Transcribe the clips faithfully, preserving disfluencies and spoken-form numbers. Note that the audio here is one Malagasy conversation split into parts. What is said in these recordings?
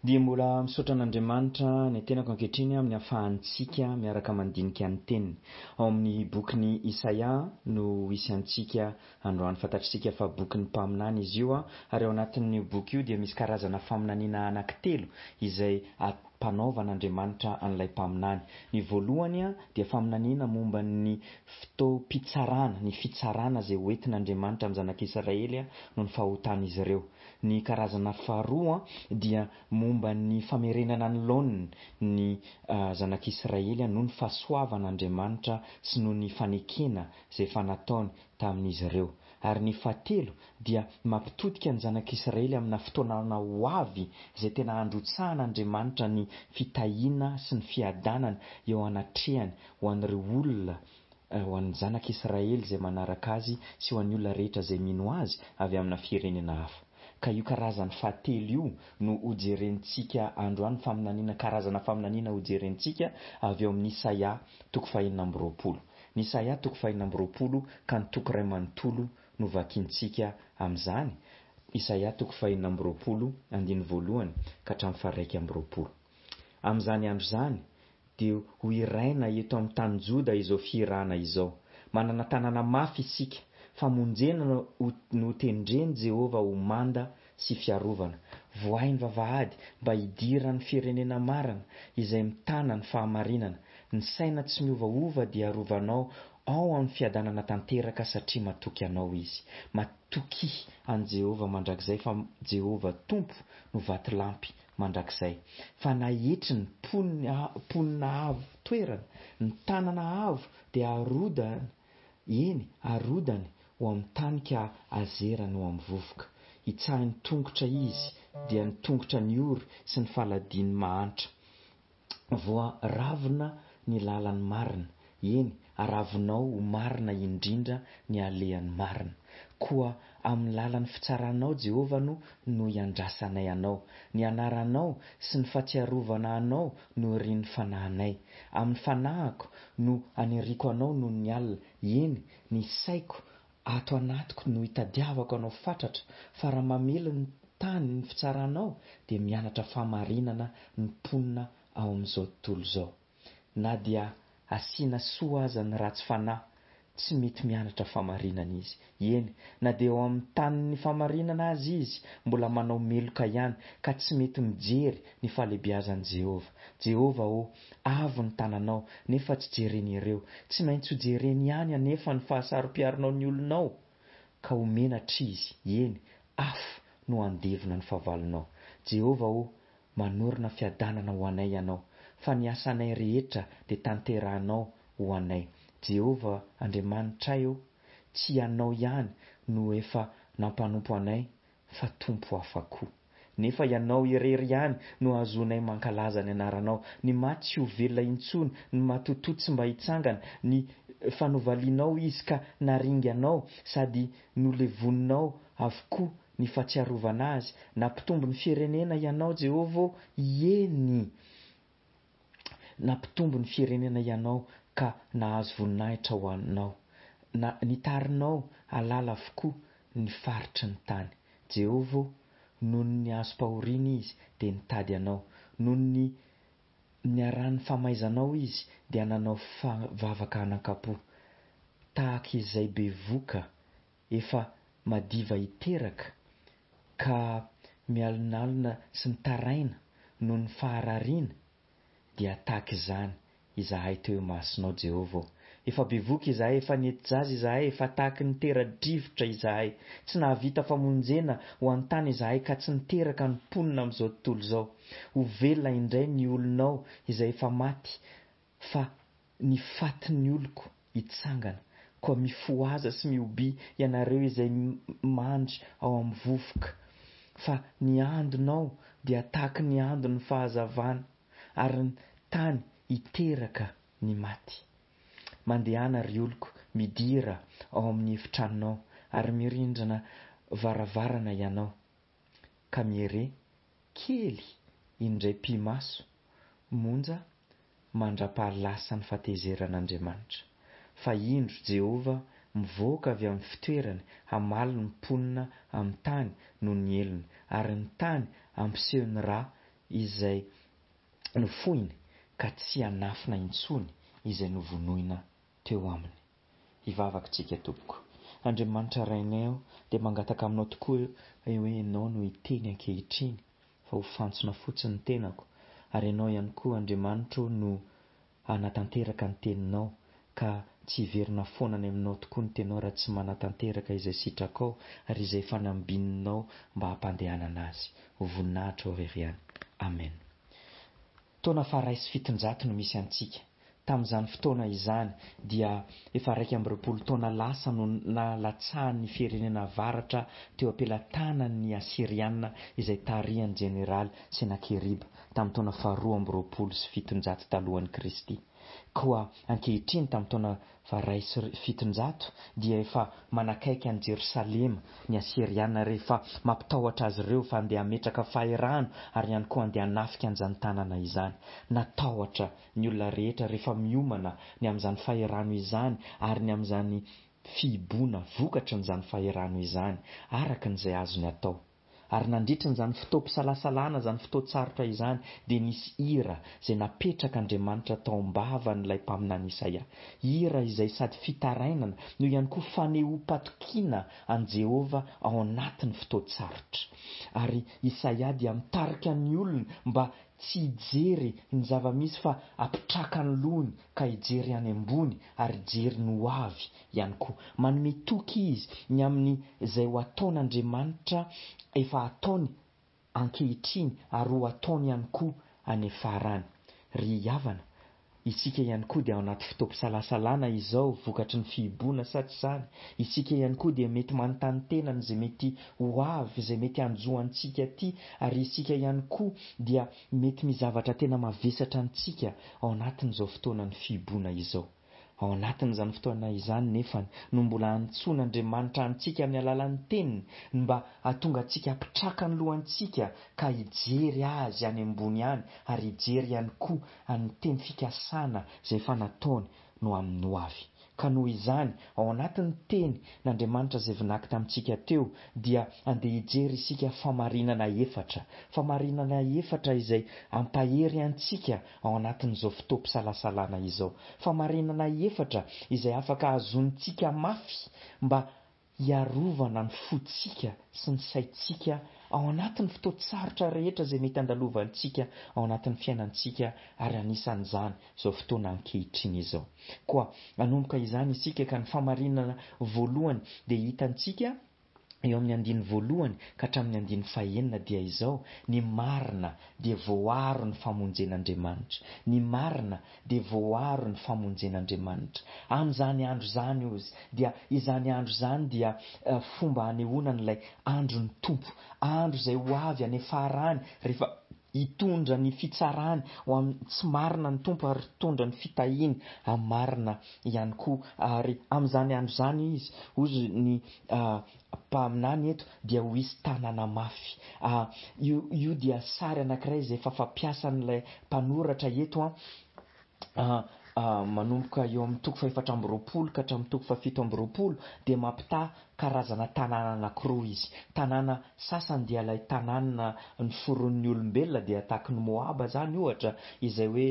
Dia mbola misaotra an'Andriamanitra ny tenako ankehitriny amin'ny ahafahantsika miaraka mandinika ny teniny. Ao amin'ny bokin'i Isaia no hisy antsika androany. Fantatr'isika fa bokin'ny mpaminany izy io, ary ao anatin'io boky io dia misy karazana faminaniana anankitelo izay ampanaovan'Andriamanitra an'ilay mpaminany. Ny voalohany dia faminaniana momba ny fotoam-pitsarana, ny fitsarana izay hoentin'Andriamanitra amin'ny zanak'Israely noho ny fahotan'izy ireo. Ny karazana faharoa dia momba ny famerenana ny laoniny ny zanak'Israely noho ny fahasoavan'Andriamanitra sy noho ny fanekena izay efa nataony tamin'izy ireo. Ary ny fahatelo dia mampitodika ny zanak'Israely amina fotoana ho avy izay tena handrotsahan'Andriamanitra ny fitahiana sy ny fiadanana eo anatrehany ho an'ireo olona, ho an'ny zanak'Israely izay manaraka azy sy ho an'ny olona rehetra izay mino azy avy amina firenena hafa. Ka io karazany fahatelo io no hojerentsika androany, faminaniana, karazana faminaniana hojerentsika avy eo amin'ny Isaia toko fahenina amby roapolo. Ny Isaia toko fahenina amby roapolo ka ny toko iray manontolo no vakintsika amin'izany. Isaia toko fahenina amby roapolo andininy voalohany ka hatramin'ny faharaika amby roapolo. Amin'izany andro izany dia ho hiraina eto amin'ny tany Joda izao fihirana izao. Manana tanàna mafy isika, famonjena no tendren'i Jehovah ho manda sy fiarovana. Vohay ny vavahady mba hidiran'ny firenena marina izay mitana ny fahamarinana. Ny saina tsy miovaova dia arovanao ao amin'ny fiadanana tanteraka satria matoky anao izy. Matoky an'i Jehovah mandrakizay fa Jehovah Tompo no vatolampy mandrakizay. Fa naetry ny mponina avo toerana, ny tanana avo dia arodany, eny arodany ho amin'ny tany ka azerany ho amin'ny vovoka. Hitsahin'ny tongotra izy dia ny tongotra ny ory sy ny faladian'ny mahantra. Voaravina ny lalan'ny marina, eny aravinao ho marina indrindra ny alehan'ny marina. Koa amin'ny lalan'ny fitsaranao Jehovah no no iandrasanay anao. Ny anaranao sy ny fahatsiarovana anao no irin'ny fanahinay. Amin'ny fanahiko no aniriko anao noho ny alina, eny ny saiko ato anatiko no hitadiavako anao fatratra, fa raha mamely ny tany ny fitsaranao dia mianatra fahamarinana ny mponina ao amin'izao tontolo izao. Na dia asiana soa aza ny ratsy fanahy, tsy mety mianatra fahamarinana izy. Eny, na dia eo amin'ny tanin'ny fahamarinana aza izy, mbola manao meloka ihany ka tsy mety mijery ny fahalehibiazan'i Jehovah. Jehovah ô, avo ny tananao, nefa tsy jereny ireo. Tsy maintsy ho jereny ihany anefa ny fahasarom-piaronao ny olonao, ka ho menatra izy. Eny, afo no handevona ny fahavalonao. Jehovah ô, manorina fiadanana ho anay ianao, fa ny asanay rehetra dia tanterahanao ho anay. Jehovah Andriamanitray ô, tsy ianao ihany no efa nampanompo anay, fa Tompo hafa koa. Nefa ianao irery ihany no ahazoanay mankalaza ny anaranao. Ny maty tsy ho velona intsony, ny matotoa tsy mba hitsangana, ny fanovalianao izy ka naringanao sady nolevoninao avokoa ny fahatsiarovana azy. Nampitombo ny firenena ianao Jehovah ô, eny nampitombo ny firenena ianao ka nahazo voninahitra ho anao. Na nitarinao halala avokoa ny faritry ny tany. Jehovah ô, noho ny azom-pahoriana izy dia nitady anao. Noho ny niharan'ny famaizanao izy dia nanao vavaka anankampo. Tahaka izay bevoka efa madiva hiteraka ka mialonalona sy mitaraina noho ny faharariana, dia tahaka izany izahay teo imasonao Jehovah ô. Efa bevoka izahay, efa nety-jaza izahay, efa tahaky ny tera-drivotra izahay. Tsy nahavita famonjena ho an-tany izahay ka tsy niteraka ny mponina amin'izao tontolo izao. Ho velona indray ny olonao izay efa maty, fa ny fatin'ny oloko hitsangana. Koa mifohaza sy mihobiha ianareo izay mandry ao amin'ny vovoka, fa ny andonao dia tahaky ny andon'ny fahazavana, ary ny tany hiteraka ny maty. Mandehana ry oloko, midira ao amin'ny efitranonao, ary mirindrana varavarana ianao, ka miere kely indray pi-maso monja mandra-pahalasan'ny fahatezeran'Andriamanitra. Fa indro Jehovah mivoaka avy amin'ny fitoerany hamaly ny mponina amin'ny tany noho ny helony, ary ny tany hampiseho ny rà izay nofohiny ka tsy hanafina intsony izay novonoina teo aminy. Hivavaka isika tompoko. Andriamanitra Rainay ô, dia mangataka aminao tokoa hoe Ianao no hiteny ankehitriny fa ho fantsona fotsiny ny tenako, ary Ianao ihany koa Andriamanitro no hanatanteraka ny teninao, ka tsy hiverina foana any aminao tokoa ny teninao raha tsy manatanteraka izay sitrakao ary izay efa nambininao mba hampandehanana azy. Ho voninahitra ho irery ihany. Amen. Taona faharay sy fitonjato no misy antsika. Tamin'izany fotoana izany dia efa iraika amby roapolo taona lasa no nalatsahan'ny firenena avaratra teo am-pelatanan'ny Asyriana izay tarihan'ny jeneraly Senakeriba tamin'ny taona faharoa amby roapolo sy fitonjato talohan'i Kristy. Koa ankehitriny tamin'ny taona faharay sy fitonjato dia efa manakaiky an'i Jerosalema ny Asyriana rehefa mampitahotra azy ireo fa andeha hametraka fahirano ary ihany koa andeha hanafika an'izany tanàna izany. Natahotra ny olona rehetra rehefa miomana ny amin'izany fahirano izany ary ny amin'izany fihiboana vokatrin'izany fahirano izany araka izay azony atao. Ary nandritra izany fotoam-pisalasalana, izany fotoan-tsarotra izany, dia nisy hira izay napetrak'Andriamanitra tao am-bavan'ilay mpaminany Isaia. Hira izay sady fitarainana no ihany koa fanehoam-patokiana an'i Jehovah ao anatin'ny fotoan-tsarotra. Ary Isaia dia mitarika ny olona mba tsy hijery ny zava-misy fa hampitraka ny lohany ka hijery any ambony ary hijery ny ho avy ihany koa. Manome toky izy ny amin'izay ho ataon'Andriamanitra efa ataony ankehitriny ary ho ataony ihany koa any farany. Ry havana, isika ihany koa dia ao anaty fotoam-pisalasalana izao vokatry ny fihiboana sa tsy izany? Isika ihany koa dia mety manontany tena izay mety ho avy, izay mety hanjo antsika aty, ary isika ihany koa dia mety misy zavatra tena mavesatra antsika ao anatin'izao fotoanan'ny fihiboana izao. Ao anatin'izany fotoana izany nefa no mbola antsoin'Andriamanitra antsika amin'ny alalan'ny teniny mba hahatonga antsika hampitraka ny lohantsika ka hijery azy any ambony any ary hijery ihany koa ny teny fikasana izay efa nataony no amin'ny ho avy. Ka noho izany, ao anatin'ny teny n'Andriamanitra izay vinaky tamintsika teo dia andeha hijery isika famarinana efatra. Famarinana efatra izay hampahery antsika ao anatin'izao fotoam-pisalasalana izao. Famarinana efatra izay afaka hahazoantsika mafy mba hiarovana ny fontsika sy ny saintsika ao anatin'ny fotoan-tsarotra rehetra izay mety handalovantsika ao anatin'ny fiainantsika ary anisan'izany izao fotoana ankehitriny izao. Koa hanomboka izany isika ka ny famarinana voalohany dia hitantsika eo amin'ny andininy voalohany ka hatramin'ny andininy fahenina dia izao: ny marina dia voaaro ny famonjen'Andriamanitra. Ny marina dia voaaro ny famonjen'Andriamanitra. Amin'izany andro izany ozy dia izany andro izany dia fomba hanehoana an'ilay andron'ny Tompo, andro izay ho avy any farany rehefa hitondra ny fitsarany ho amin'ny tsy marina ny Tompo ary hitondra ny fitahiany amin'ny marina ihany koa. Ary amin'izany andro izany izy, hozy ny mpaminany eto, dia ho hisy tanàna mafy. Io, io dia sary anankiray izay efa fampiasan'ilay mpanoratra eto an. Manomboka eo amin'ny toko fahefatra amby roapolo ka hatramin'ny toko fahafito amby roapolo dia mampitaha karazana tanàna anankiroa izy. Tanàna sasany dia ilay tanàna noforonin'ny olombelona, dia tahaky ny Moaba izany ohatra, izay hoe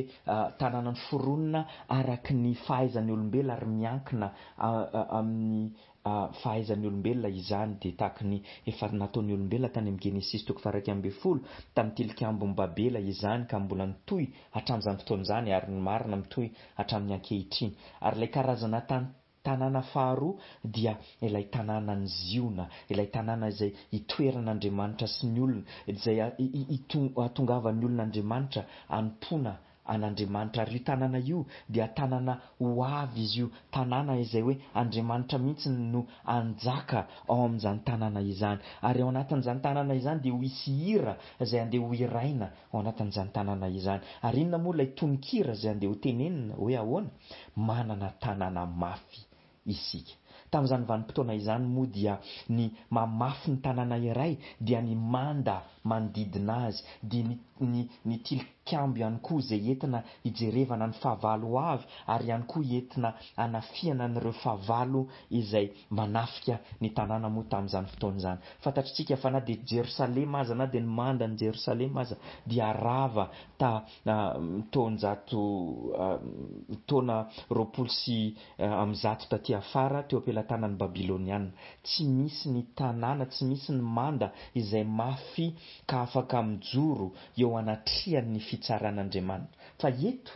tanàna noforonina araky ny fahaizan'ny olombelona ary miankina amin'ny fahaizan'ny olombelona izany, dia tahaky ny efa nataon'ny olombelona tany amin'ny Genesisy toko faha iraika ambin'ny folo tamin'ny tilikambon'i Babela izany, ka mbola nitohy hatramin'izany fotoana izany ary ny marina mitohy hatramin'ny ankehitriny. Ary ilay karazana tan-, tanàna faharoa dia ilay tanànan'i Ziona, ilay tanàna izay itoeran'Andriamanitra sy ny olona, izay hahatongavan'ny olon'Andriamanitra hanompoana an'Andriamanitra. Ary io tanàna io dia tanàna ho avy izy io, tanàna izay hoe Andriamanitra mihitsy no hanjaka ao amin'izany tanàna izany. Ary ao anatin'izany tanàna izany dia ho hisy hira izay andeha ho hiraina ao anatin'izany tanàna izany. Ary inona moa ilay tononkira izay andeha ho tenenina hoe ahoana? Manana tanàna mafy isika. Tamin'izany vanim-potoana izany moa dia ny mamafy ny tanàna iray dia ny manda manodidina azy, dia ny, ny, ny tilikambo tilikambo ihany koa izay entina hijerevana ny fahavalo ho avy, ary ihany koa entina hanafihana an'ireo fahavalo izay manafika ny tanàna moa tamin'izany fotoana izany. Fantatritsika fa na dia Jerosalema aza, na dia ny mandan'i Jerosalema aza dia rava ta taonjato taona roapolo sy amby zato taty afara teo am-pelatanan'ny Babyloniana. Tsy misy ny tanàna, tsy misy ny manda izay mafy ka afaka mijoro eo anatrehan'ny fitsaran'Andriamanitra. Fa eto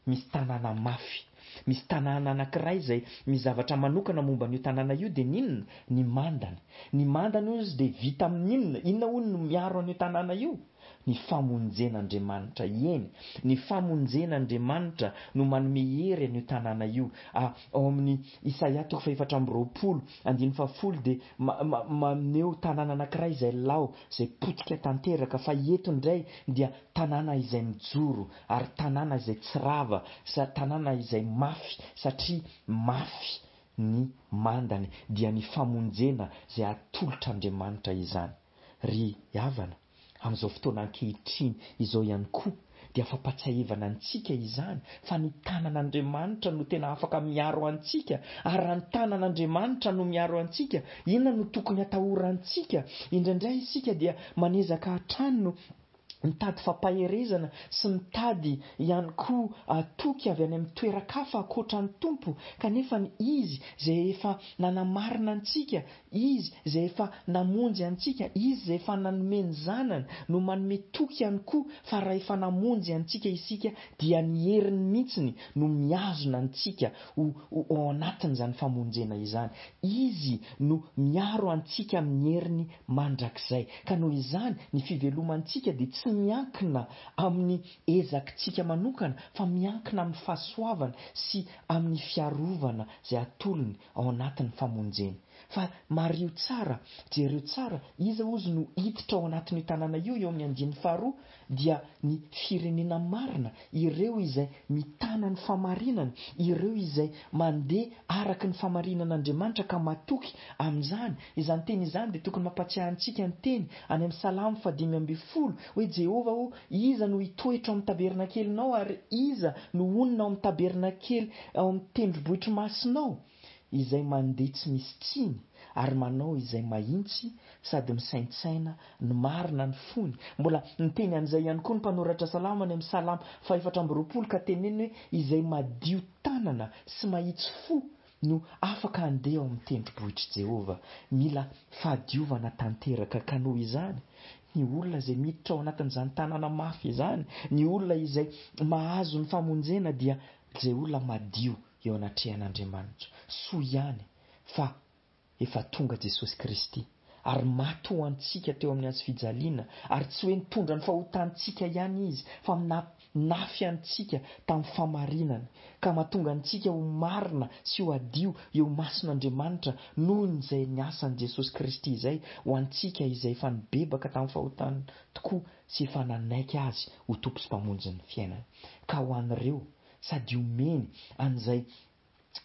misy tanàna mafy, misy tanàna anankiray izay misy zavatra manokana momba an'io tanàna io, dia n'inona? Ny mandany. Ny mandany hoy izy dia vita amin'inona? Inona hono no miaro an'io tanàna io? Ny famonjen'Andriamanitra. Eny, ny famonjen'Andriamanitra no manome hery an'io tanàna io. Ao amin'ny Isaia toko fahefatra amby roapolo, andininy fahafolo dia maneho tanàna anankiray izay lao, izay potika tanteraka, fa eto indray dia tanàna izay mijoro, ary tanàna izay tsy rava, tanàna izay mafy, satria mafy ny mandany, dia ny famonjena izay atolotr'Andriamanitra izany. Ry havana, amin'izao fotoana ankehitriny izao ihany koa dia fampatsiahivana antsika izany fa ny tanan'Andriamanitra no tena afaka miaro antsika, ary raha ny tanan'Andriamanitra no miaro antsika, inona no tokony atahorantsika? Indraindray isika dia manezaka hatrany no mitady fampaherezana sy mitady ihany koa toky avy any amin'ny toeran-kafa ankoatra ny Tompo, kanefa ny Izy izay efa nanamarina antsika, Izy izay efa namonjy antsika, Izy izay efa nanome ny zanany no manome toky ihany koa fa raha efa namonjy antsika isika dia ny heriny mihitsiny no mihazona antsika ho ao anatin'izany famonjena izany. Izy no miaro antsika amin'ny heriny mandrakizay. Ka noho izany ny fivelomantsika dia tsy miankina amin'ny ezakitsika manokana fa miankina amin'ny fahasoavana sy amin'ny fiarovana izay atolony ao anatin'ny famonjena. Fa mariho tsara, jereo tsara, iza ozy no hiditra ao anatin'io tanàna io eo amin'ny andininy faharoa? Dia ny firenena marina, ireo izay mitana ny famarinana, ireo izay mandeha araka ny famarinan'Andriamanitra ka matoky amin'izany. Izany teny izany dia tokony mampatsiahy antsika ny teny any amin'ny Salamo fahadimy ambin'ny folo hoe Jehovah ô, iza no hitoetra ao amin'ny tabernakelinao ary iza no honina ao amin'ny tabernakely ao amin'ny tendrombohitry masinao? Izay mandeha tsy misy tsiny ary manao izay mahitsy sady misaintsaina ny marina ny fony. Mbola niteny an'izay ihany koa ny mpanoratra salamo any amin'ny Salamo fahefatra amby roapolo ka teneniny hoe izay madio tanana sy mahitsy fo no afaka handeha ao amin'ny tendrombohitr'i Jehovah. Mila fahadiovana tanteraka ka noho izany ny olona izay miditra ao anatin'izany tanàna mafy izany, ny olona izay mahazo ny famonjena dia izay olona madio eo anatrehan'Andriamanitra. Soa ihany fa efa tonga Jesosy Kristy ary maty ho antsika teo amin'ny hazo fijaliana, ary tsy hoe nitondra ny fahotantsika ihany izy fa nafy antsika tamin'ny famarinana ka mahatonga antsika ho marina sy ho adio eo mason'Andriamanitra noho izay niasan'i Jesosy Kristy izay ho antsika izay efa nibebaka tamin'ny fahotana tokoa sy efa nanaiky azy ho Tompo sy Mpamonjy ny fiainana. Ka ho an'ireo sady omeny an'izay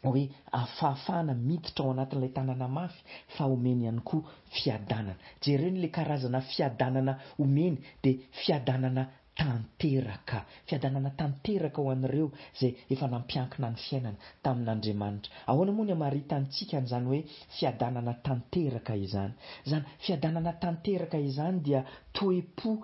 hoe fahafahana miditra ao anatin'ilay tanàna mafy fa omeny ihany koa fiadanana. Jereo ilay karazana fiadanana omeny dia fiadanana tanteraka. Fiadanana tanteraka ho an'ireo izay efa nampiankina ny fiainana tamin'Andriamanitra. Ahoana moa ny hamaritantsika an'izany hoe fiadanana tanteraka izany? Izany fiadanana tanteraka izany dia toe-po,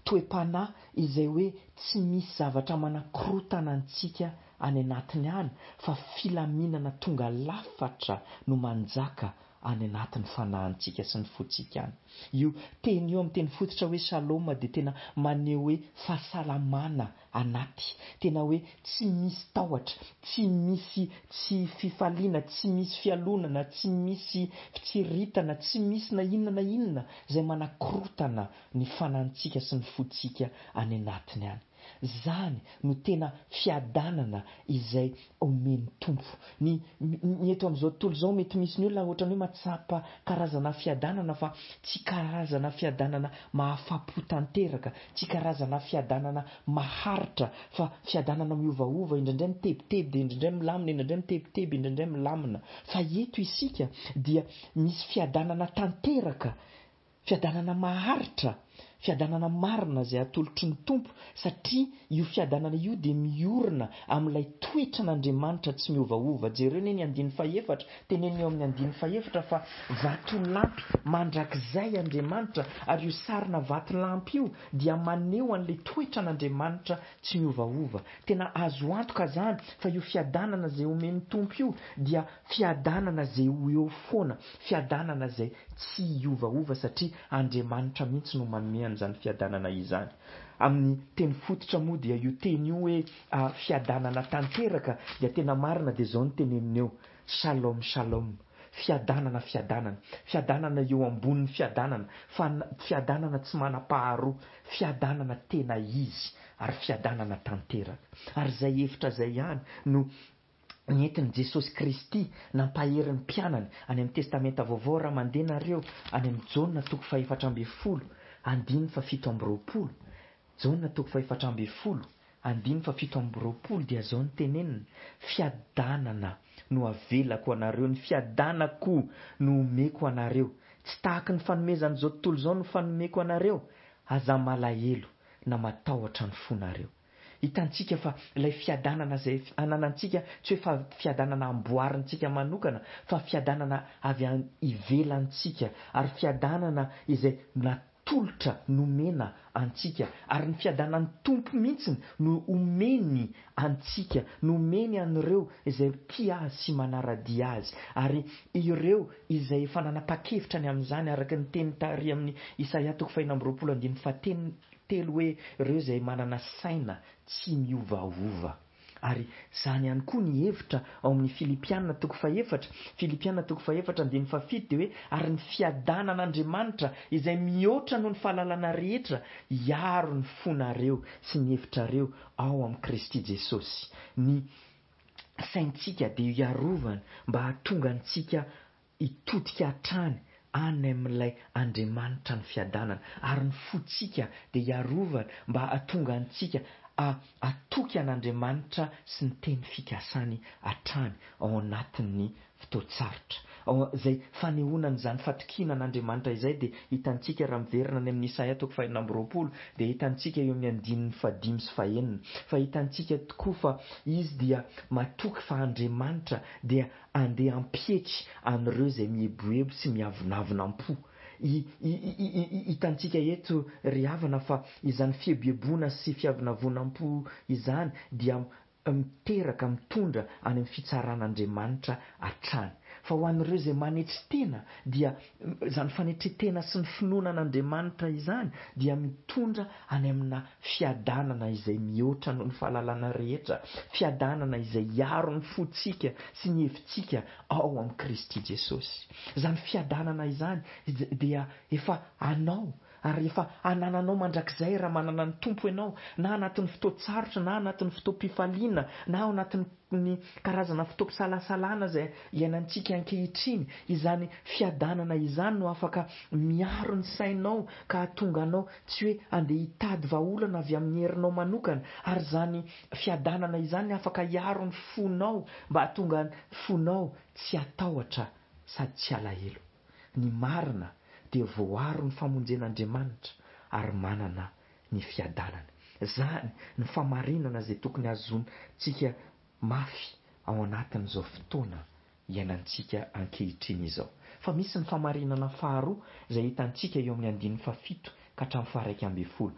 toe-panahy izay hoe tsy misy zavatra manakorotana antsika any anatiny any fa filaminana tonga lafatra no manjaka any anatin'ny fanahintsika sy ny fontsika any. Io teny io amin'ny teny fototra hoe shalom dia tena maneho hoe fahasalamana anaty, tena hoe tsy misy tahotra, tsy misy tsy fifaliana, tsy misy fialonana, tsy misy fitsiritana, tsy misy na inona na inona izay manakorotana ny fanahintsika sy ny fontsika any anatiny any. Zany no tena fiadanana izay omen'ny Tompo. Ny ny eto amin'izao tontolo izao mety misy ny olona ohatran'ny hoe mahatsapa karazana fiadanana fa tsy karazana fiadanana mahafapo tanteraka, tsy karazana fiadanana maharitra fa fiadanana miovaova, indraindray mitebiteby dia indraindray milamina, indraindray mitebiteby, indraindray milamina. Fa eto isika dia misy fiadanana tanteraka, fiadanana maharitra, Fiadanana marina izay atolotry ny Tompo, satria io fiadanana io dia miorina amin'ilay toetran'Andriamanitra tsy miovaova. Jereo anie ny andininy fahefatra, teneniny eo amin'ny andininy fahefatra fa vatolampy mandrakizay Andriamanitra, ary io sarina vatolampy io dia maneho an'ilay toetran'Andriamanitra tsy miovaova. Tena azo antoka izany fa io fiadanana izay omen'ny Tompo io dia fiadanana izay ho eo foana, fiadanana izay tsy hiovaova, satria Andriamanitra mihitsy no manome an'izany fiadanana izany. Amin'ny teny fototra moa dia io teny io hoe fiadanana tanteraka dia tena marina, dia izao no teneniny eo: Shalom, shalom, fiadanana, fiadanana, fiadanana eo ambonin'ny fiadanana, fiadanana tsy manam-paharoa, fiadanana tena izy ary fiadanana tanteraka. Ary izay hevitra izay ihany no nentin'i Jesosy Kristy nampahery ny mpianany any amin'ny Testamenta Vaovao. Raha mandeha nareo any amin'ny Jaona toko fahefatra ambin'ny folo andininy fahafito amby roapolo, Jaona toko fahefatra ambin'ny folo andininy fahafito amby roapolo dia izao no teneniny: fiadanana no avelako anareo, ny fiadanako no omeko anareo, tsy tahaky ny fanomezan'izao tontolo izao no fanomeko anareo, aza malahelo na matahotra ny fonareo. Hitantsika fa ilay fiadanana izay ananantsika tsy hoe fa fiadanana amboarintsika manokana, fa fiadanana avy any ivelantsika, ary fiadanana izay natolotra nomena antsika, ary ny fiadanan'ny Tompo mihitsy no omeny antsika, nomeny an'ireo izay tia azy sy manara-dia azy, ary ireo izay efa nanapa-kevitra ny amin'izany, araka ny teny tary amin'ny Isaia toko fahenina amby roapolo andininy fahatelo telo hoe ireo izay manana saina tsy miovaova. Ary izany ihany koa ny hevitra ao amin'ny Filipiana toko fahefatra, Filipiana toko fahefatra andininy fahafito dia hoe ary ny fiadanan'Andriamanitra izay mihoatra noho ny fahalalana rehetra hiaro ny fonareo sy ny hevitrareo ao amin'i Kristy Jesosy. Ny saintsika dia hiarovana mba hahatonga antsika hitodika hatrany any amin'ilay Andriamanitra ny fiadanana, ary ny fontsika dia hiarovana mba hahatonga antsika hatoky an'Andriamanitra sy ny teny fikasany hatrany ao anatin'ny fotoan-tsarotra. Izay fanehoana an'izany fatokiana an'Andriamanitra izay dia hitantsika raha miverina any amin'ny Isaia toko fahenina amby roapolo, dia hitantsika eo amin'ny andininy fahadimy sy fahenina fa hitantsika tokoa fa izy dia matoky fa Andriamanitra dia andeha hampietry an'ireo izay mieboebo sy miavonavona am-po. Hitantsika eto ry havana fa izany fieboeboana sy fiavonavonam-po izany dia miteraka, mitondra any amin'ny fitsaran'Andriamanitra hatrany. Fa ho an'ireo izay manetry tena dia izany fanetren-tena sy ny finoana an'Andriamanitra izany dia mitondra any amina fiadanana izay mihoatra noho ny fahalalana rehetra, fiadanana izay hiaro ny fontsika sy ny hevitsika ao amin'i Kristy Jesosy. Izany fiadanana izany dia efa anao ary efa anananao mandrakizay raha manana ny Tompo ianao, na anatin'ny fotoan-tsarotra, na anatin'ny fotoam-pifaliana, na ao anatin'ny karazana fotoam-pisalasalana izay iainantsika ankehitriny. Izany fiadanana izany no afaka miaro ny sainao ka hahatonga anao tsy hoe andeha hitady vahaolana avy amin'ny herinao manokana, ary izany fiadanana izany afaka hiaro ny fonao mba hahatonga ny fonao tsy hatahotra sady tsy halahelo. Ny marina dia voaro ny famonjen'Andriamanitra ary manana ny fiadanana. Izany ny famarinana izay tokony hahazoantsika mafy ao anatin'izao fotoana iainantsika ankehitriny izao. Fa misy ny famarinana faharoa izay hitantsika eo amin'ny andininy fahafito ka hatramin'ny faharaika ambin'ny folo.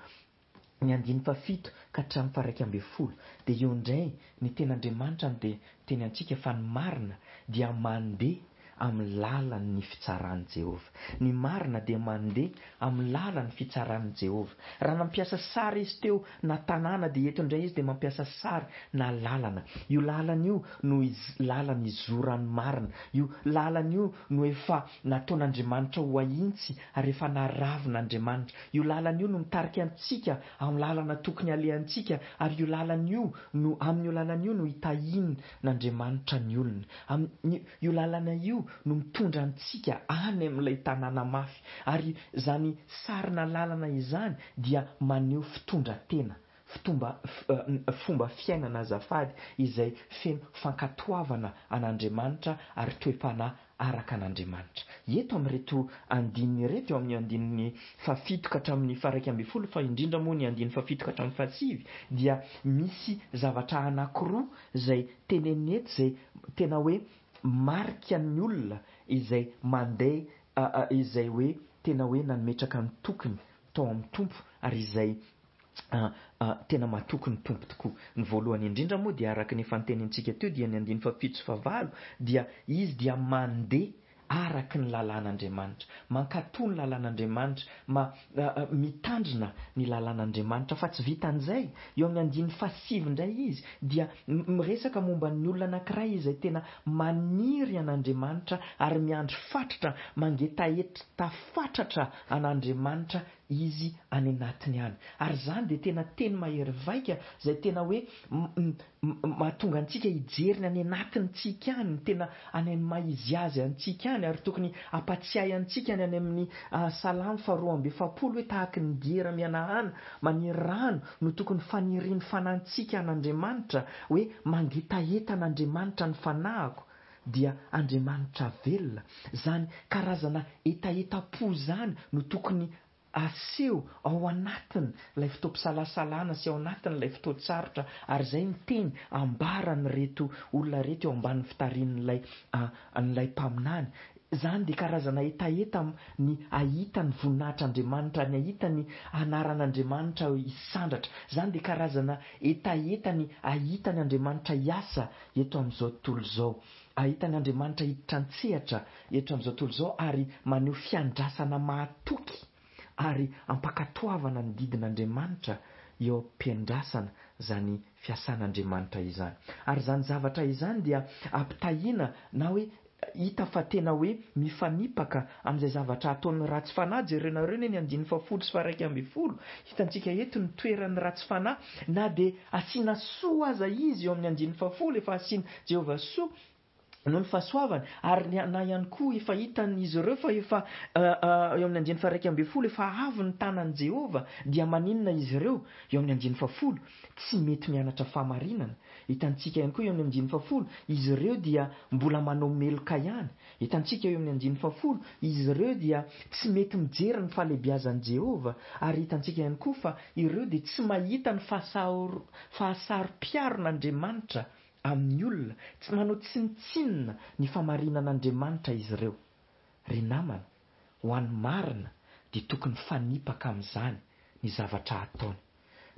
Ny andininy fahafito ka hatramin'ny faharaika ambin'ny folo dia eo indray ny tenin'Andriamanitra no dia miteny antsika fa ny marina dia mandeha amin'ny lalan'ny fitsaran'i Jehovah. Ny marina dia mandeha amin'ny lalan'ny fitsaran'i Jehovah. Raha nampiasa sary izy teo na tanàna dia eto indray izy dia mampiasa sary na lalana. Io lalana io no lalana izoran'ny marina. Io lalana io no efa nataon'Andriamanitra ho ahintsy ary efa naravin'Andriamanitra. Io lalana io no mitarika antsika amin'ny lalana tokony alehantsika, ary io lalana io no amin'io lalana io no hitahian'Andriamanitra ny olona. Amin'ny io lalana io no mitondra antsika any amin'ilay tanàna mafy, ary izany sarina lalana izany dia maneho fitondran-tena, Fitomba, fomba fiainana azafady izay feno fankatoavana an'Andriamanitra ary toe-panahy araka an'Andriamanitra. Eto amin'ireto andininy ireto, eo amin'ny andininy fahafito ka hatramin'ny faha-iraika ambin'ny folo, fa indrindra moa ny andininy fahafito ka hatramin'ny fahasivy, dia misy zavatra anankiroa izay teneniny eto izay tena hoe marika ny olona izay mandeha, izay hoe tena hoe nametraka ny tokiny tao amin'ny Tompo ary izay tena matoky ny Tompo tokoa. Ny voalohany indrindra moa dia araka ny efa notenenintsika teo dia ny andininy fahafito sy fahavalo dia izy dia mandeha araka ny lalàn'Andriamanitra, mankatò ny lalàn'Andriamanitra, ma, mitandrina ny lalàn'Andriamanitra. Fa tsy vitan'izay, eo amin'ny andininy fahasivy indray izy dia miresaka momba ny olona anankiray izay tena maniry an'Andriamanitra ary miandry fatratra, mangetaheta fatratra an'Andriamanitra izy any anatiny any. Ary izany dia tena teny mahery vaika izay tena hoe mahatonga antsika hijery ny any anatintsika any, ny tena any amin'ny maha izy azy antsika any, ary tokony hampatsiahy antsika ny any amin'ny Salamo faharoa amby efapolo hoe tahaky ny diera mihanahana maniry rano no tokony fanirian'ny fanantsika an'Andriamanitra, hoe mangetaheta an'Andriamanitra ny fanahiko, dia Andriamanitra velona. Izany karazana hetahetam-po izany no tokony aseho ao anatiny ilay fotoam-pisalasalana sy ao anatiny ilay fotoan-tsarotra, ary izay ny teny ambaran'ireto olona ireto eo ambanin'ny fitarihan'ilay an'ilay mpaminany. Izany dia karazana hetaheta ny hahita ny voninahitr'Andriamanitra, ny hahita ny anaran'Andriamanitra hisandratra. Izany dia karazana hetaheta ny hahita ny Andriamanitra hiasa eto amin'izao tontolo izao, hahita ny Andriamanitra hiditra an-tsehatra eto amin'izao tontolo izao ary maneho fiandrasana mahatoky ary ampakatoavana ny didin'Andriamanitra eo am-piandrasana izany fiasan'Andriamanitra izany. Ary izany zavatra izany dia ampitahiana na hoe hita fa tena hoe mifanipaka amin'izay zavatra ataon'ny ratsy fanahy. Jerenareo anie ny andininy fahafolo sy faharaika ambin'ny folo. Hitantsika eto ny toeran'ny ratsy fanahy, na dia asiana soa aza izy eo amin'ny andininy fahafolo, efa asiana Jehovah soa noho ny fahasoavany, ary na ihany koa efa hitan'izy ireo fa efa eo amin'ny andininy faharaika ambin'ny folo efa avy ny tanan'i Jehovah, dia maninona izy ireo? Eo amin'ny andininy fahafolo, tsy mety mianatra fahamarinana. Hitantsika ihany koa eo amin'ny andininy fahafolo, izy ireo dia mbola manao meloka ihany. Hitantsika eo amin'ny andininy fahafolo, izy ireo dia tsy mety mijery ny fahalehibiazan'i Jehovah, ary hitantsika ihany koa fa ireo dia tsy mahita ny fahasaro-piaron'Andriamanitra amin'ny olona, tsy manao tsinontsinona ny fahamarinan'Andriamanitra izy ireo. Ry namana, ho an'ny marina dia tokony mifanipaka amin'izany ny zavatra ataony.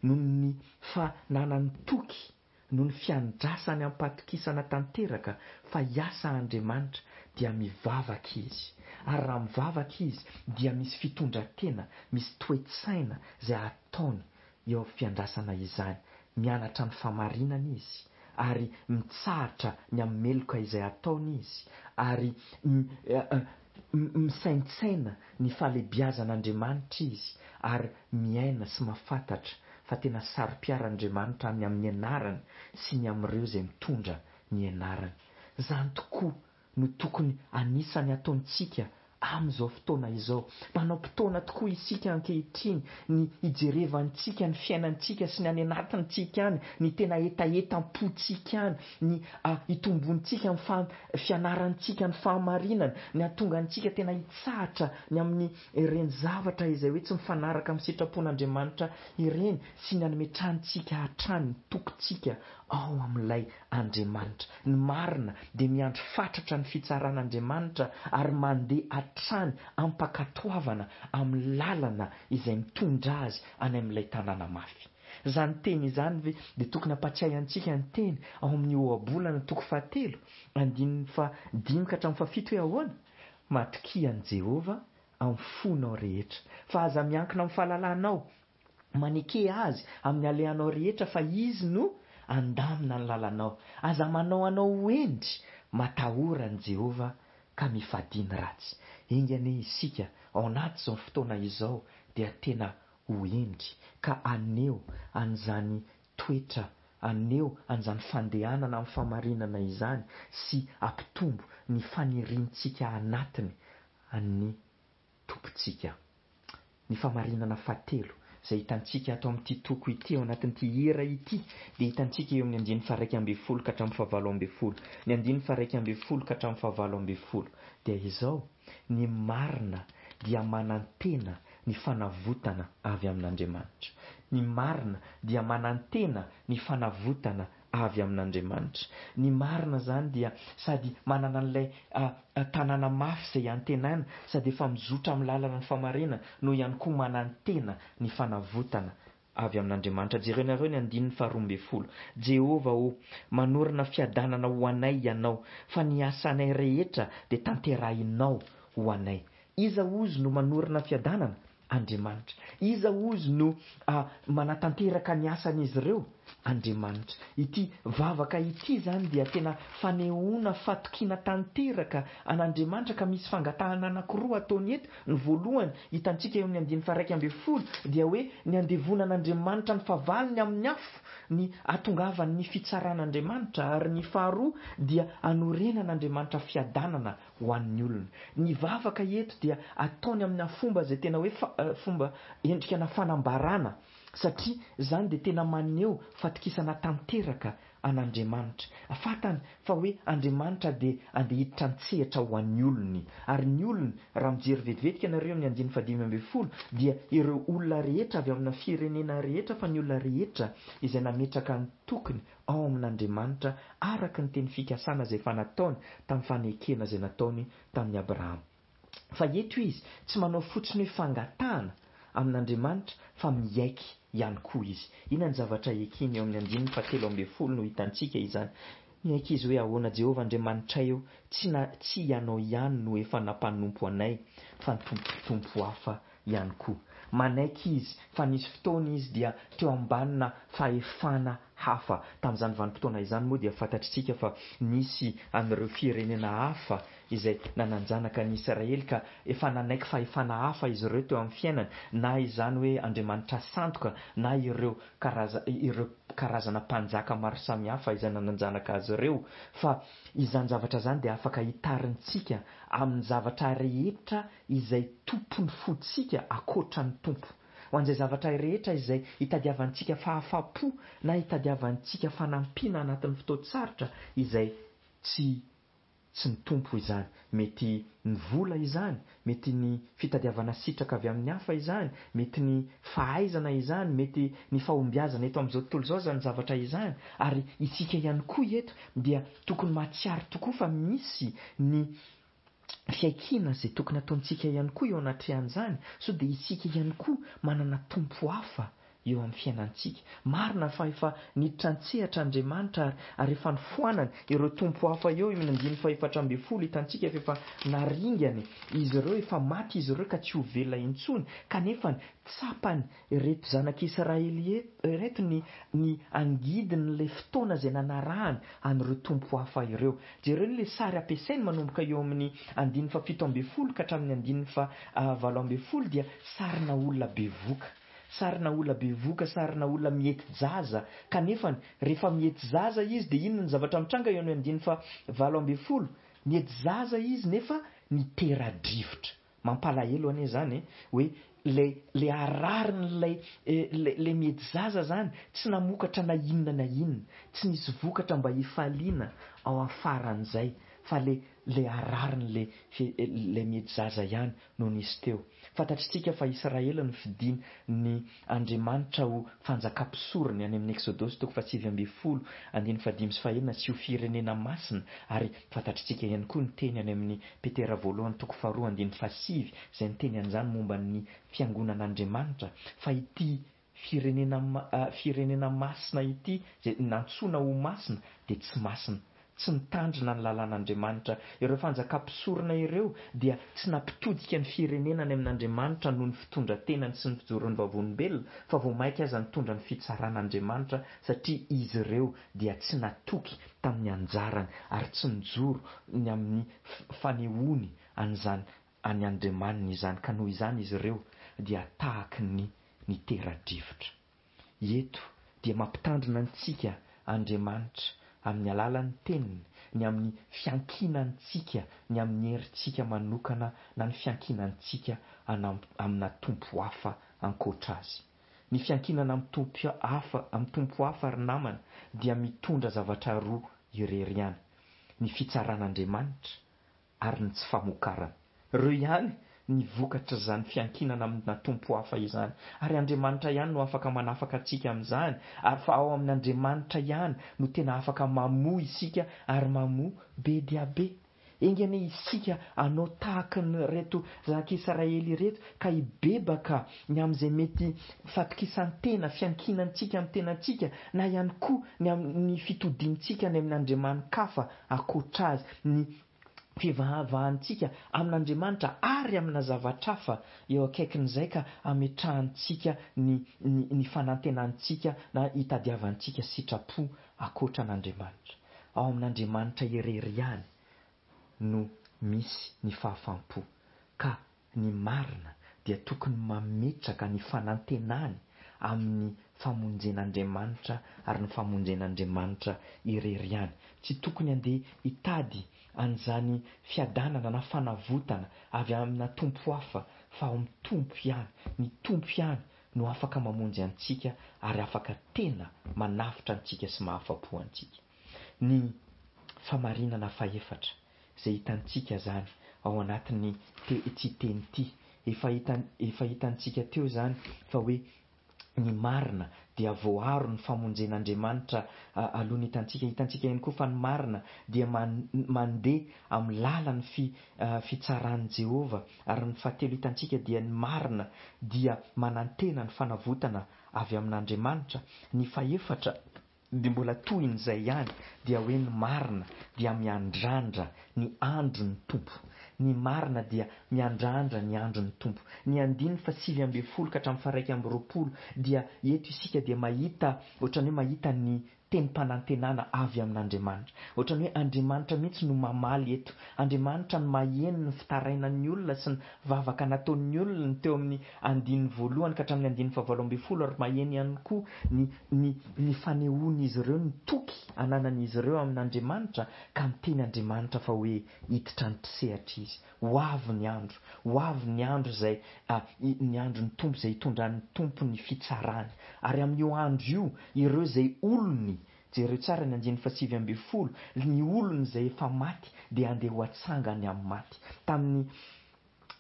Noho ny fananany toky, noho ny fiandrasany am-patokisana tanteraka fa hiasa Andriamanitra, dia mivavaka izy. Ary raha mivavaka izy dia misy fitondran-tena, misy toe-tsaina izay ataony eo fiandrasana izany. Mianatra ny fahamarinana izy, ary mitsahatra ny amin'ny meloka izay ataony izy, ary misaintsaina ny fahalehibiazan'Andriamanitra izy, ary miaina sy mahafantatra fa tena saro-piaran'Andriamanitra ny amin'ny anarany sy ny amin'ireo izay mitondra ny anarany. Izany tokoa no tokony anisany ataontsika amin'izao fotoana izao. Manao-potoana tokoa isika ankehitriny ny hijerevantsika ny fiainantsika sy ny any anatintsika any, ny tena hetahetam-pontsika any, ny hitombontsika ny fianarantsika ny fahamarinana, ny hahatonga antsika tena hitsahatra ny amin'ny ireny zavatra izay hoe tsy mifanaraka amin'ny sitrapon'Andriamanitra ireny, sy ny hametrahantsika hatrany ny tokintsika ao amin'ilay Andriamanitra. Ny marina dia miandry fatratra ny fitsaran'Andriamanitra ary mandeha hatrany ampakatoavana amin'ny lalana izay mitondra azy any amin'ilay tanàna mafy. Izany teny izany ve dia tokony hampatsiahy antsika ny teny ao amin'ny ohabolana toko fahatelo, andininy fahadimy ka hatramin'ny fahafito hoe ahoana? Matokia an'i Jehovah amin'ny fonao rehetra, fa aza miankina amin'ny fahalalanao. Maneke azy amin'ny alehanao rehetra fa izy no andamina ny lalanao. Aza manao anao ho hendry, matahora an'i Jehovah ka mifadia ny ratsy. Enga anie isika ao anaty izao fotoana izao dia tena ho hendry ka haneho an'izany toetra, haneho an'izany fandehanana amin'ny fahamarinana izany sy hampitombo ny faniriantsika anatiny an'ny Tompontsika. Ny fahamarinana fahatelo izay hitantsika ato amin'ity toko ity, ao anatin'ity hira ity, dia hitantsika eo amin'ny andininy faha-iraika ambin'ny folo ka hatramin'ny fahavalo ambin'ny folo. Ny andininy faha-iraika ambin'ny folo ka hatramin'ny fahavalo ambin'ny folo dia izao: ny marina dia manantena ny fanavotana avy amin'Andriamanitra. Ny marina dia manantena ny fanavotana avy amin'Andriamanitra. Ny marina izany dia sady manana an'ilay tanàna mafy izay antenaina, sady efa mizotra amin'ny lalana ny fahamarinana, no ihany koa manantena ny fanavotana avy amin'Andriamanitra. Jerenareo ny andininy faharoa ambin'ny folo. Jehovah ô, manorina fiadanana ho anay Ianao, fa ny asanay rehetra dia tanterahinao ho anay. Iza hozy no manorina fiadanana? Andriamanitra. Iza hozy no manatanteraka ny asan'izy ireo? Andriamanitra. Ity vavaka ity izany dia tena fanehoana fatokiana tanteraka an'Andriamanitra, ka misy fangatahana anankiroa ataony eto. Ny voalohany hitantsika eo amin'ny andininy faha-iraika ambin'ny folo dia hoe ny andevonan'Andriamanitra ny fahavalony amin'ny afo, ny hatongavan'ny fitsaran'Andriamanitra, ary ny faharoa dia hanorenan'Andriamanitra fiadanana ho an'ny olona. Ny vavaka eto dia ataony amina fomba izay tena hoe fomba endrika na fanambarana, satria izany dia tena maneho fatokisana tanteraka an'Andriamanitra. Fantany fa hoe Andriamanitra dia andeha hiditra an-tsehatra ho an'ny olony. Ary ny olony, raha mijery vetivetika ianareo amin'ny andininy fahadimy ambin'ny folo, dia ireo olona rehetra avy amina firenena rehetra, fa ny olona rehetra izay nametraka ny tokony ao amin'Andriamanitra araka ny teny fikasana izay efa nataony tamin'ny fanekena izay nataony tamin'i Abrahama. Fa eto izy tsy manao fotsiny hoe fangatahana amin'Andriamanitra fa miaiky ihany koa izy. Inona ny zavatra ekeny eo amin'ny andininy fahatelo ambin'ny folo no hitantsika izany? Miaiky izy hoe ahoana Jehovah Andriamanitray eo, tsy na tsy ianao ihany no efa nampanompo anay fa ny tompo tompo hafa ihany koa. Manaiky izy fa nisy fotoana izy dia teo ambanina fahefana hafa. Tamin'izany vanim-potoana izany moa dia fantatritsika fa nisy an'ireo firenena hafa izay nananjanaka ny Israely, ka efa nanaiky fahefana hafa izy ireo teo amin'ny fiainany, na izany hoe Andriamanitra sandoka, na ireo karaza ireo karazana mpanjaka maro samihafa izay nananjanaka azy ireo. Fa izany zavatra izany dia afaka hitarintsika amin'ny zavatra rehetra izay tompon'ny fontsika ankoatra ny Tompo. Ho an'izay zavatra rehetra izay hitadiavantsika fahafapo na hitadiavantsika fanampiana anatin'ny fotoan-tsarotra izay tsy tsy ny Tompo izany. Mety ny vola izany, mety ny fitadiavana sitraka avy amin'ny hafa izany, mety ny fahaizana izany, mety ny fahombiazana eto amin'izao tontolo izao izany zavatra izany. Ary isika ihany koa eto dia tokony mahatsiaro tokoa fa misy ny fiaikiana izay tokony ataontsika ihany koa eo anatrehan'izany, sao dia isika ihany koa manana tompo hafa eo amin'ny fiainantsika. Marina fa efa niditra an-tsehatra Andriamanitra ary, ary efa nifoanany ireo tompo hafa eo amin'ny andininy fahefatra ambin'ny folo hitantsika fa efa naringany izy ireo, efa maty izy ireo ka tsy ho velona intsony, kanefa tsapany ireto zanak'Israely ireto ny ny angidin'ilay fotoana izay nanarahany an'ireo tompo hafa ireo. Jereo ilay sary ampiasainy manomboka eo amin'ny andininy fahafito ambin'ny folo ka hatramin'ny andininy fahavalo ambin'ny folo dia sarina olona bevoka. Sarina olona bevoka, sarina olona mihety jaza, kanefa rehefa mihety zaza izy dia inona ny zavatra mitranga eo amin'ny andininy fahavalo ambin'ny folo? Mihety zaza izy nefa nitera-drivotra. Mampalahelo anie izany e, hoe ilay ilay hararin'ilay ilay ilay mihety zaza izany tsy namokatra na inona na inona, tsy nisy vokatra mba hifaliana ao afaran'izay, fa ilay ilay hararin'ilay ilay mihety zaza ihany no nisy teo. Fantatritsika fa Israely no fidin ny Andriamanitra ho fanjakam-pisorony any amin'ny Eksodosy toko fahasivy ambin'ny folo andininy fahadimy sy fahenina sy ho firenena masina, ary fantatritsika ihany koa ny teny any amin'ny Petera voalohany toko faharoa andininy fahasivy izay niteny an'izany momba ny fiangonan'Andriamanitra, fa ity firenena firenena masina ity izay nantsoina ho masina dia tsy masina, tsy nitandrina ny lalàn'Andriamanitra. Ireo fanjakam-pisorona ireo dia tsy nampitodika ny firenena any amin'Andriamanitra noho ny fitondran-tenany sy ny fijoroany vavolombelona, fa vao mainka aza nitondra ny fitsaran'Andriamanitra, satria izy ireo dia tsy natoky tamin'ny anjarany ary tsy nijoro ny amin'ny fanehoany an'izany any Andriamaniny izany, ka noho izany izy ireo dia tahaky ny nitera-drivotra. Eto dia mampitandrina antsika Andriamanitra amin'ny alalan'ny teniny, ny amin'ny fiankinantsika, ny amin'ny herintsika manokana na ny fiankinantsika amina tompo hafa ankoatra azy. Ny fiankinana amin'ny tompo hafa, amin'ny tompo hafa ry namana dia mitondra zavatra roa irery ihany, ny fitsaran'Andriamanitra ary ny tsy famokarana. Ireo ihany ny vokatr'izany fiankinana amina tompo hafa izany. Ary Andriamanitra ihany no afaka manafaka antsika amin'izany, ary fa ao amin'Andriamanitra ihany no tena afaka mamoa isika ary mamoa be dia be. Enga anie isika hanao tahaka an'ireto zanak'Israely ireto ka hibebaka ny amin'izay mety fatokisan-tena, fiankinantsika amin'ny tenantsika na ihany koa ny amin'ny fitodiantsika any amin'Andriamani-kafa ankoatra azy, ny fivavahantsika amin'Andriamanitra ary amina zavatra hafa eo akaikin'izay ka ametrahantsika ny, ny, ny fanantenantsika na hitadiavantsika sitrapo ankoatra an'Andriamanitra. Ao amin'Andriamanitra irery ihany no misy ny fahafaham-po, ka ny marina dia tokony mametraka ny fanantenany amin'ny famonjen'Andriamanitra ary ny famonjen'Andriamanitra irery ihany. Tsy tokony handeha hitady an'izany fiadanana na fanavotana avy amina tompo hafa fa ao amin'ny Tompo ihany. Ny Tompo ihany no afaka mamonjy antsika ary afaka tena manavotra antsika sy mahafa-po antsika. Ny famarinana fahefatra izay hitantsika izany ao anatin'ny ity teny ity, efa hitan, efa hitantsika teo izany fa hoe ny marina dia voaaro ny famonjen'Andriamanitra aloha ny hitantsika. Hitantsika ihany koa fa ny marina dia mandeha amin'ny lalan'ny fi, fitsaran'i Jehovah. Ary ny fahatelo hitantsika dia ny marina dia manantena ny fanavotana avy amin'Andriamanitra. Ny fahefatra dia mbola tohin'izay ihany, dia hoe ny marina dia miandrandra ny andron'ny Tompo. Ny marina dia miandrandra ny andron'ny Tompo. Ny andininy fahasivy ambin'ny folo ka hatramin'ny faharaika amby roapolo dia eto isika dia mahita, ohatran'ny hoe mahita ny tenim-panantenana avy amin'Andriamanitra. Ohatran'ny hoe Andriamanitra mihitsy no mamaly eto. Andriamanitra no maheno ny fitarainan'ny olona sy ny vavaka nataon'ny olona teo amin'ny andininy voalohany ka hatramin'ny andininy fahavalo ambin'ny folo ary maheno ihany koa ny, ny, ny fanehoan'izy ireo ny toky ananan'izy ireo amin'Andriamanitra ka miteny Andriamanitra fa hoe hiditra an-tsehatra izy. Ho avy ny andro, ho avy ny andro izay, ny andron'ny Tompo izay hitondran'ny Tompo ny fitsarany. Ary amin'io andro io, ireo izay olony, jereo tsara ny andininy fahasivy ambin'ny folo, ny olony izay efa maty dia handeha ho atsangany amin'ny maty. Tamin'ny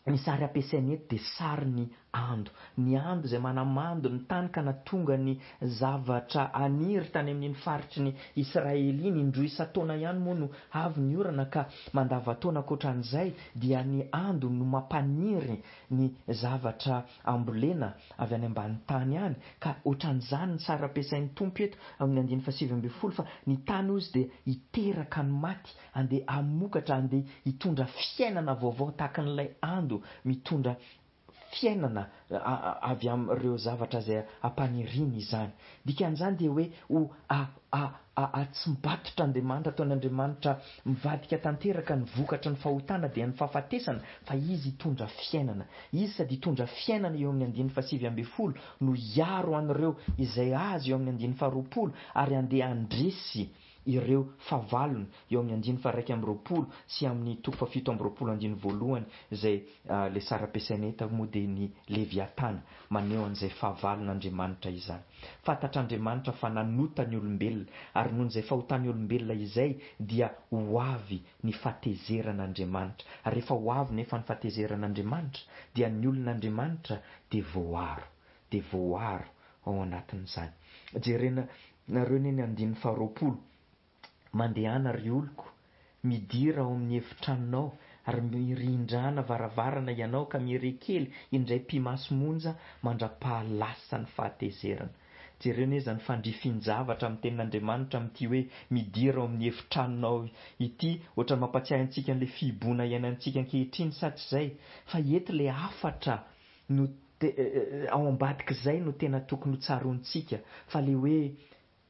ny sary ampiasaina eto dia sarin'ny ando. Ny ando izay manamando ny tany ka nahatonga ny zavatra haniry tany amin'iny faritry ny Israely iny. Indroa isan-taona ihany moa no avy ny orana ka mandavantaona ankoatran'izay dia ny ando no mampaniry ny zavatra ambolena avy any ambany tany any. Ka ohatran'izany ny sary ampiasain'ny Tompo eto amin'ny andininy fahasivy ambin'ny folo fa ny tany hozy dia hiteraka ny maty, andeha hamokatra, andeha hitondra fiainana vaovao tahaka an'ilay ando mitondra fiainana avy amin'ireo zavatra izay ampaniriany izany. Dikan'izany dia hoe ho atsimbatotra Andriamanitra, ataon'Andriamanitra mivadika tanteraka ny vokatry ny fahotana dia ny fahafatesana, fa Izy hitondra fiainana. Izy sady hitondra fiainana eo amin'ny andininy fahasivy ambin'ny folo no hiaro an'ireo izay azy eo amin'ny andininy faharoapolo ary handeha handresy ireo fahavalony eo amin'ny andininy faha-iraika amby roapolo sy amin'ny toko fahafito amby roapolo andininy voalohany izay ilay sary ampiasaina eto moa dia ny Leviatana maneho an'izay fahavalon'Andriamanitra izany. Fantatr'Andriamanitra fa nanota ny olombelona ary noho izay fahotan'ny olombelona izay dia ho avy ny fahatezeran'Andriamanitra. Ary rehefa ho avy nefa ny fahatezeran'Andriamanitra dia ny olon'Andriamanitra dia voaaro, dia voaaro ao anatin'izany. Jerena nareo anie ny andininy faharoapolo, Mandehana ry oloko, midira ao amin'ny efitranonao, ary mirindrana varavarana ianao ka miere kely indray pi-maso monja mandra-pahalasa ny fahatezerana. Jereo anie izany fandrifin-javatra amin'ny tenin'Andriamanitra amin'ity hoe midira ao amin'ny efitranonao ity, ohatran'ny mampatsiahy antsika an'ilay fihiboana iainantsika ankehitriny sa tsy izay? Fa eto ilay hafatra no ao ambadik'izay no tena tokony ho tsaroantsika fa ilay hoe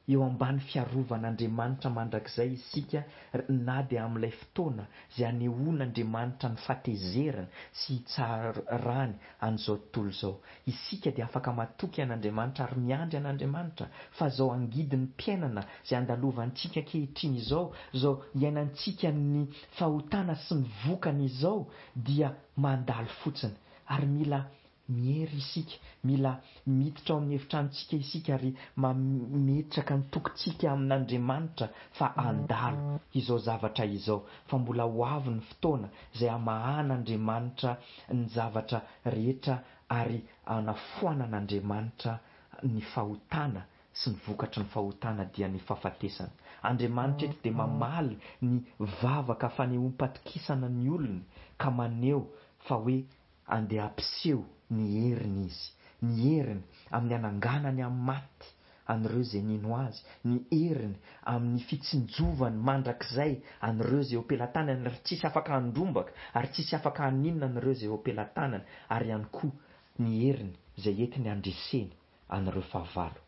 eo ambany fiarovan'Andriamanitra mandrakizay isika na dia amin'ilay fotoana izay anehoan'Andriamanitra ny fahatezerany sy hitsarany an'izao tontolo izao. Isika dia afaka matoky an'Andriamanitra ary miandry an'Andriamanitra fa izao angidin'ny-piainana izay andalovantsika ankehitriny izao, izao iainantsika ny fahotana sy ny vokany izao dia mandalo fotsiny ary mila miery isika, mila miditra ao amin'ny efitranontsika isika ary mametraka ny tokintsika amin'Andriamanitra fa handalo izao zavatra izao, fa mbola ho avy ny fotoana izay hamahan'Andriamanitra ny zavatra rehetra ary hanafoanan'Andriamanitra ny fahotana sy ny vokatry ny fahotana dia ny fahafatesana. Andriamanitra eto dia mamaly ny vavaka fanehoam-patokisana ny olony ka maneho fa hoe andeha hampiseho ny heriny izy, ny heriny amin'ny hananganany amin'ny maty an'ireo izay nino azy, ny heriny amin'ny fitsinjovany mandrakizay an'ireo izay eo am-pelatanany ary tsisy afaka handrombaka ary tsisy afaka haninona an'ireo izay eo am-pelatanany, ary ihany koa ny heriny izay entiny handreseny an'ireo fahavalo.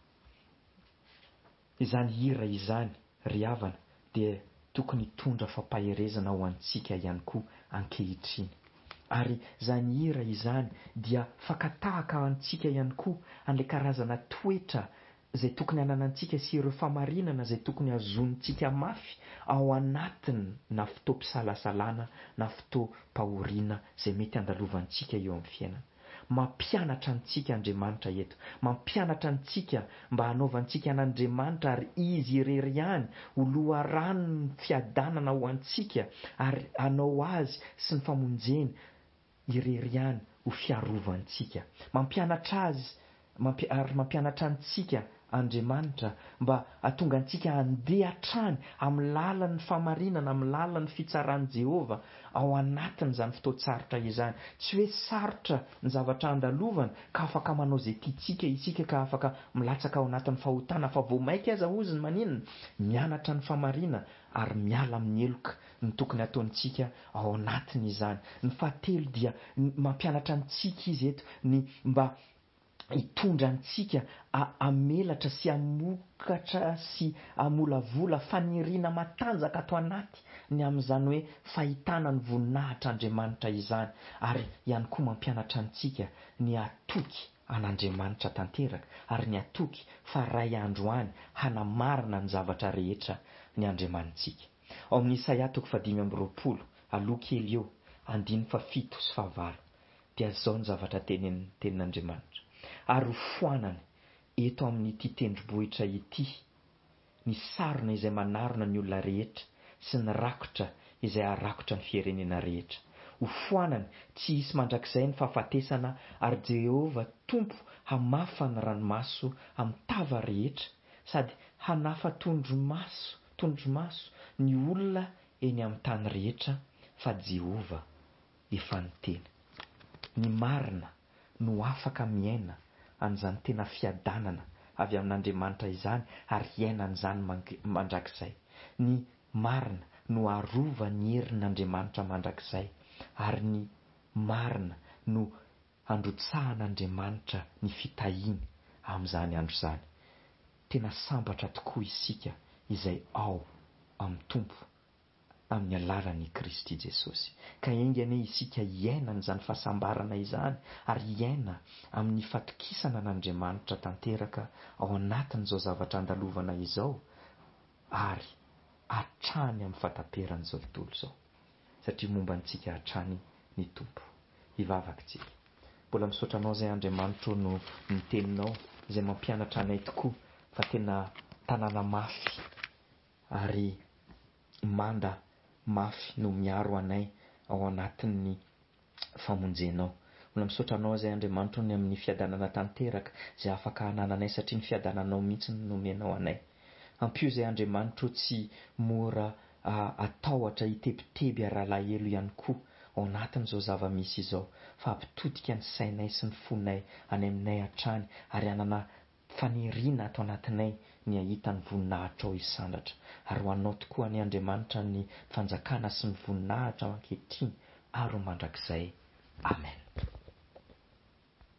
Izany hira izany, ry havana, dia tokony hitondra fampaherezana ho antsika ihany koa ankehitriny. Ary izany hira izany dia fakan-tahaka antsika ihany koa an'ilay karazana toetra izay tokony hananantsika sy ireo famarinana izay tokony hazonintsika mafy ao anatiny na fotoam-pisalasalana na fotoam-pahoriana izay mety handalovantsika eo amin'ny fiainana. Mampianatra antsika Andriamanitra eto. Mampianatra antsika mba hanaovantsika an'Andriamanitra ary Izy irery ihany ho loharanon'ny fiadanana ho antsika ary hanao Azy sy ny famonjeny irery ihany ho fiarovantsika. Mampianatra Azy ary mampianatra antsika Andriamanitra mba hahatonga antsika handeha hatrany amin'ny lalan'ny fahamarinana, amin'ny lalan'ny fitsaran'i Jehovah ao anatin'izany fotoan-tsarotra izany. Tsy hoe sarotra ny zavatra andalovana ka afaka manao izay tiantsika isika ka afaka milatsaka ao anatin'ny fahotana, fa vao mainka aza hozy ny maninona? Mianatra ny fahamarinana ary miala amin'ny heloka ny tokony hataontsika ao anatin'izany. Ny fahatelo dia mampianatra antsika izy eto ny mba hitondra antsika hamelatra sy hamokatra sy hamolavola faniriana matanjaka ato anaty ny amin'izany hoe fahitana ny voninahitr'Andriamanitra izany, ary ihany koa mampianatra antsika ny hatoky an'Andriamanitra tanteraka ary ny hatoky fa ray andro any hanamarina ny zavatra rehetra ny Andriamanitsika. Ao amin'ny Isaia toko fahadimy amby roapolo, aloha kely eo, andininy fahafito sy fahavalo, dia izao ny zavatra tenenin'ny tenin'Andriamanitra. Ary ho foanany eto amin'ity tendrombohitra ity ny sarona izay manarona ny olona rehetra sy ny rakotra izay harakotra ny firenena rehetra. Ho foanany tsy hisy mandrakizay ny fahafatesana ary Jehovah Tompo hamafa ny ranomaso amin'ny tava rehetra sady hanafa tondromaso tondromaso ny olona eny amin'ny tany rehetra fa Jehovah efa niteny. Ny marina no afaka miaina an'izany tena fiadanana avy amin'Andriamanitra izany ary hiaina an'izany mandrakizay. Ny marina no arovan'ny herin'Andriamanitra mandrakizay ary ny marina no handrotsahan'Andriamanitra ny fitahiany amin'izany andro izany. Tena sambatra tokoa isika izay ao amin'ny Tompo amin'ny alalan'i Kristy Jesosy. Ka enga anie isika hiaina an'izany fahasambarana izany ary hiaina amin'ny fatokisana an'Andriamanitra tanteraka ao anatin'izao zavatra andalovana izao ary hatrany amin'ny fahataperan'izao tontolo izao. Satria momba antsika hatrany ny Tompo. Hivavaka isika. Mbola misaotra anao izay Andriamanitro no ny teninao izay mampianatra anay tokoa fa tena tanàna mafy ary manda mafy no miaro anay ao anatin'ny famonjenao. Mbola misaotra anao izay Andriamanitro ny amin'ny fiadanana tanteraka izay afaka hanananay satria ny fiadananao mihitsy no nomenao anay. Ampio izay Andriamanitro tsy mora atahotra hitebiteby ary alahelo ihany koa ao anatin'izao zava-misy izao fa hampitodika ny sainay sy ny fonay any aminay hatrany ary hanana faniriana ato anatinay ny hahita ny voninahitrao hisandratra. Ary ho anao tokoa anie Andriamanitra ny fanjakana sy ny voninahitra ankehitriny ary ho mandrakizay. Amen.